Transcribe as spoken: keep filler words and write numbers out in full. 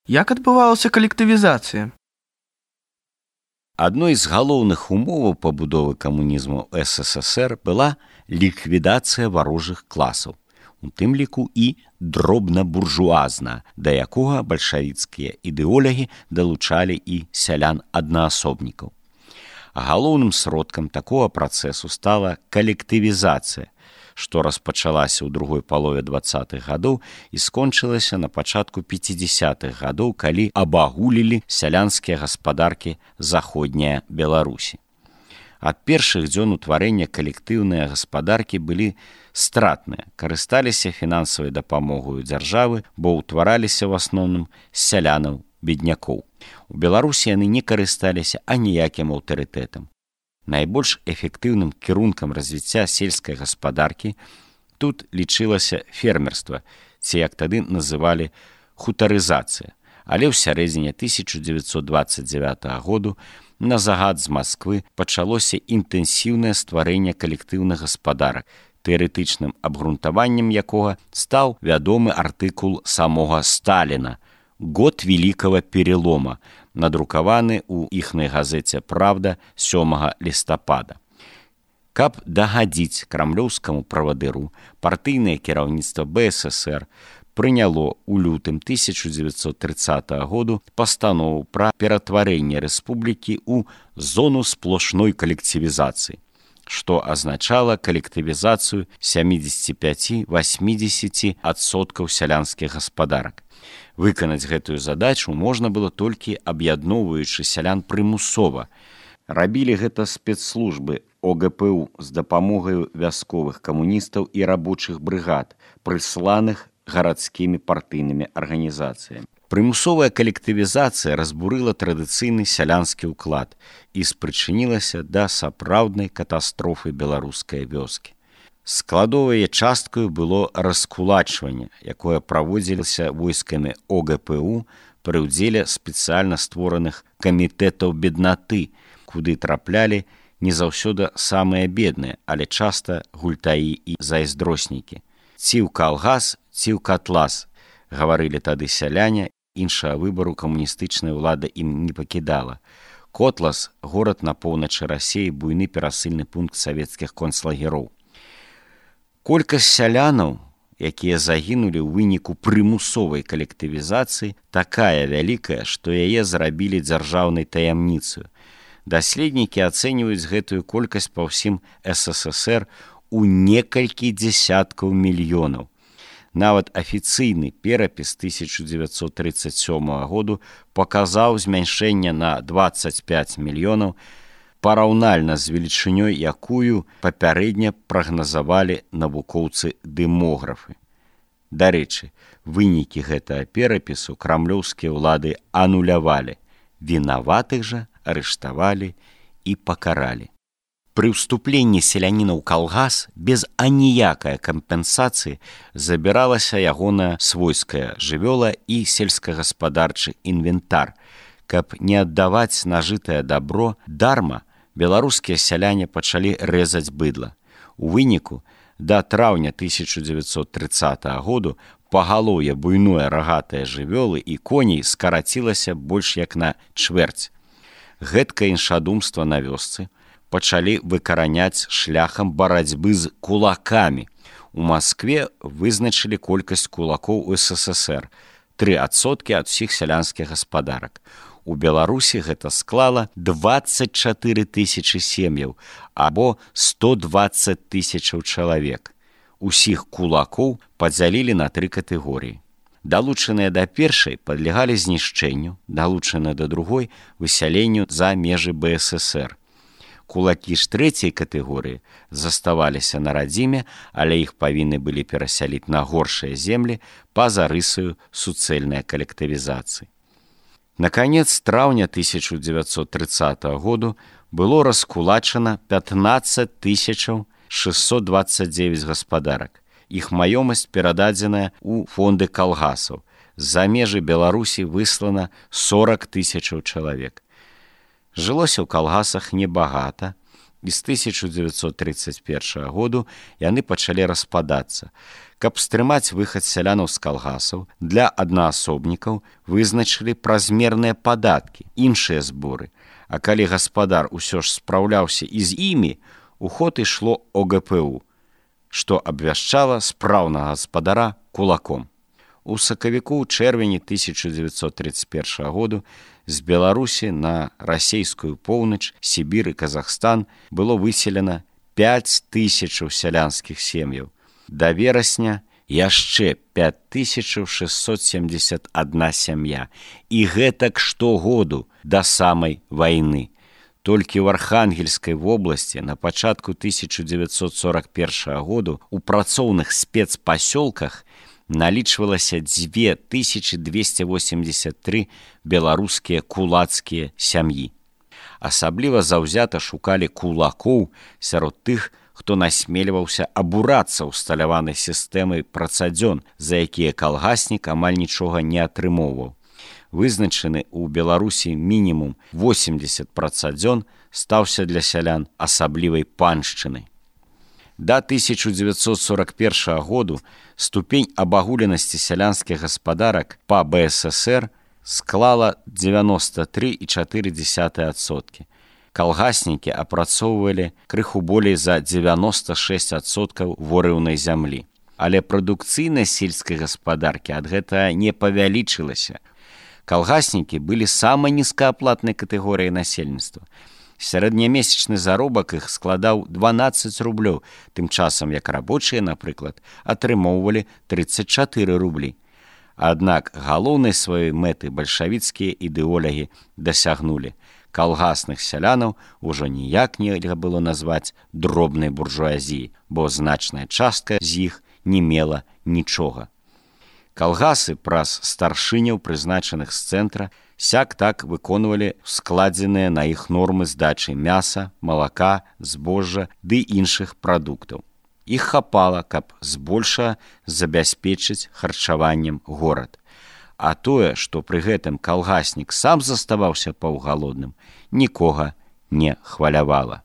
Як адбывалася калектывізацыя? Адной з галоўных умоваў пабудовы камунізму СССР была ліквідацыя варожых класаў, у тым ліку і дробна-буржуазна, да якога бальшавіцкія ідэолагі далучалі і сялян-аднаасобнікаў. Галоўным сродкам такога працэсу стала калектывізацыя, што распачалася ў другой палове дваццатых гадоў і скончылася на пачатку пяцідзясятых гадоў, калі абагулілі сялянскія гаспадаркі заходняя Беларусі. Ад першых дзён утварэння калектыўныя гаспадаркі былі стратныя, карысталіся фінансавай дапамогай дзяржавы, бо ўтвараліся ў асноўным з сялянаў-беднякоў. У Беларусі яны не карысталіся аніякім аўтарытэтам. Найбольш эфектыўным кірункам развіцця сельскай гаспадаркі тут лічылася фермерства, ці як тады называлі хутарызацыя. Але ў сярэдзіне тысяча дзевяцьсот дваццаць дзявятага году на загад з Масквы пачалося інтэнсіўнае стварэнне калектыўных гаспадарак, тэарэтычным абгрунтаваннем якога стаў вядомы артыкул самога Сталіна «Год великого перелома», надрукаваны ў іхнай газеце «Правда» сёмага лістапада. Каб дагадзіць крамлёўскаму правадыру, партыйнае кіраўніцтва БССР прыняло ў лютым тысяча дзевяцьсот трыццатага году пастанову пра ператварэнне рэспублікі ў зону сплошной калектывізацыі, што азначала калектывізацыю сямдзесят пяць - восемьдесят адсоткаў сялянскіх гаспадарак. Выканаць гэтую задачу можна было толькі аб'ядноўваючы сялян прымусова. Рабілі гэта спецслужбы ОГПУ з дапамогай вясковых камуністаў і рабочых брыгад, прысланых гарадскімі партыйнымі арганізацыямі. Прымусовая калектывізацыя разбурыла традыцыйны сялянскі ўклад і спрычынілася да сапраўднай катастрофы беларускай вёскі. Складовай часткаю было раскулачванне, якое праводзілася войскамі ОГПУ пры ўдзеле спецыяльна створаных камітэтаў беднаты, куды траплялі не заўсёды самыя бедныя, але часта гультаі і зайздроснікі. Ці ў калгас, ці ў катлас, гаварылі тады сяляне, іншага выбару камуністычная ўлада ім не пакідала. Котлас – горад на поўначы Расіі, буйны перасыльны пункт савецкіх концлагероў. Колькасць сялянаў, якія загінулі ў выніку прымусовай калектывізацыі, такая вялікая, што яе зрабілі дзяржаўнай таямніцаю. Даследнікі ацэньваюць гэтую колькасць па ўсім СССР у некалькі дзесяткаў мільёнаў. Нават афіцыйны перапіс тысяча дзевяцьсот трыццаць сёмага году паказаў змяншэнне на дваццаць пяць мільёнаў, параўнальна з велічынёй, якую папярэдне прагназавалі навукоўцы-дэмографы. Дарэчы, вынікі гэтага перапісу крамлёўскія ўлады анулявалі, вінаватых жа арыштавалі і пакаралі. Пры ўступленні селяніна ў калгас без аніякай кампенсацыі забіралася ягоная свойская жывёла і сельскагаспадарчы інвентар. Каб не аддаваць нажытае дабро дарма, беларускія сяляне пачалі рэзаць быдла. У выніку, да траўня тысяча дзевяцьсот трыццатага году пагалоўе буйное рагатае жывёлы і коней скарацілася больш як на чвэрць. Гэткае іншадумства на вёсцы пачалі выкараняць шляхам барацьбы з кулакамі. У Маскве вызначылі колькасць кулакоў у СССР – тры адсоткі ад усіх сялянскіх гаспадарак. У Беларусі гэта склала дваццаць чатыры тысячы сем'яў або сто дваццаць тысячаў чалавек. Усіх кулакоў падзялілі на тры катэгорыі. Далучаныя да першай падлягалі знішчэнню, далучаныя да другой высяленню за межы БССР. Кулакі ж трэцяй катэгорыі заставаліся на радзіме, але іх павінны былі перасяліць на горшыя землі па-за рысаю суцэльнай калектывізацыі. Наконец, траўня тысяча дзевяцьсот трыццатага году было раскулачана пятнаццаць тысяч шестьсот двадцать девять гаспадарак. Іх маёмасць перададзеная ў фонды калгасаў. З-за межы Беларусі выслана сорок тысячаў чалавек. Жылося ў калгасах небагата, і з тысяча дзевяцьсот трыццаць першага году яны пачалі распадацца. Каб стрымаць выхад сялянаў з калгасаў, для аднаасобнікаў вызначылі празмерныя падаткі, іншыя зборы. А калі гаспадар усё ж спраўляўся і з імі, у ход ішло о гэ пэ у, што абвяшчала спраўнага гаспадара кулаком. У сакавіку ў чэрвені тысяча дзевяцьсот трыццаць першага году з Беларусі на расейскую поўнач, Сібір і Казахстан было выселена пяць тысячаў сялянскіх сем'яў. Да верасня яшчэ пяць тысячаў шэсцьсот семдзесят адна сям'я. І гэтак штогоду да самай вайны. Толькі ў Архангельскай вобласці на пачатку тысяча дзевяцьсот сорак першага году у працоўных спецпасёлках налічвалася дзве тысячы дзвесце восемьдесят тры беларускія кулацкія сям'і. Асабліва заўзята шукалі кулакоў сярод тых, хто насмельваўся абурацца ўсталяванай сістэмай працадзён, за якія калгаснік амаль нічога не атрымоўваў. Вызначаны ў Беларусі мінімум восемьдесят працадзён стаўся для сялян асаблівай паншчынай. Да тысяча дзевяцьсот сорак першага году ступень абагуленасці сялянскіх гаспадарак па бэ эс эсэр склала дзевяносто тры і чатыры дзесятых адсоткі. Калгаснікі апрацоўвалі крыху болей за дзевяносто шэсць адсоткаў ворыўнай зямлі. Але прадукцыйнасць сельскай гаспадаркі ад гэтага не павялічылася. Калгаснікі былі самай нізкааплатнай катэгорыяй насельніцтва. Сярэднямесячны заробак іх складаў дванаццаць рублёў, тым часам як рабочыя, напрыклад, атрымоўвалі трыццаць чатыры рублі. Аднак галоўнай сваёй мэты бальшавіцкія ідэолагі дасягнулі. Калгасных сялянаў ужо ніяк нельга было назваць дробнай буржуазіяй, бо значная частка з іх не мела нічога. Калгасы праз старшыняў, прызначаных з цэнтра, сяк-так выконвалі складзеныя на іх нормы здачы мяса, малака, збожжа ды іншых прадуктаў. Іх хапала, каб збольшага забяспечыць харчаваннем горад. А тое, што пры гэтым калгаснік сам заставаўся паўгалодным, нікога не хвалявала.